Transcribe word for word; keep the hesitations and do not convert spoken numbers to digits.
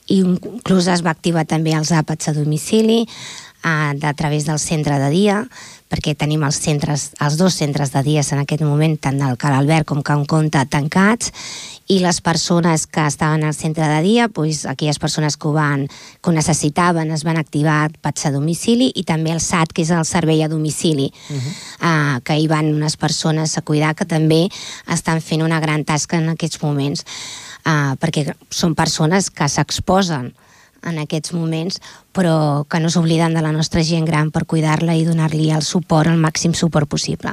i inclús es va activar també els àpats a domicili a, a través del centre de dia, perquè tenim els centres, els dos centres de dies en aquest moment, tant el Cal Albert com Can Comte, tancats, i les persones que estaven al centre de dia, doncs, aquelles persones que ho, van, que ho necessitaven es van activar àpats a domicili, i també el S A T, que és el servei a domicili, uh-huh. uh, que hi van unes persones a cuidar que també estan fent una gran tasca en aquests moments, uh, perquè són persones que s'exposen en aquests moments, però que no s'obliden de la nostra gent gran per cuidar-la i donar-li el suport, el màxim suport possible.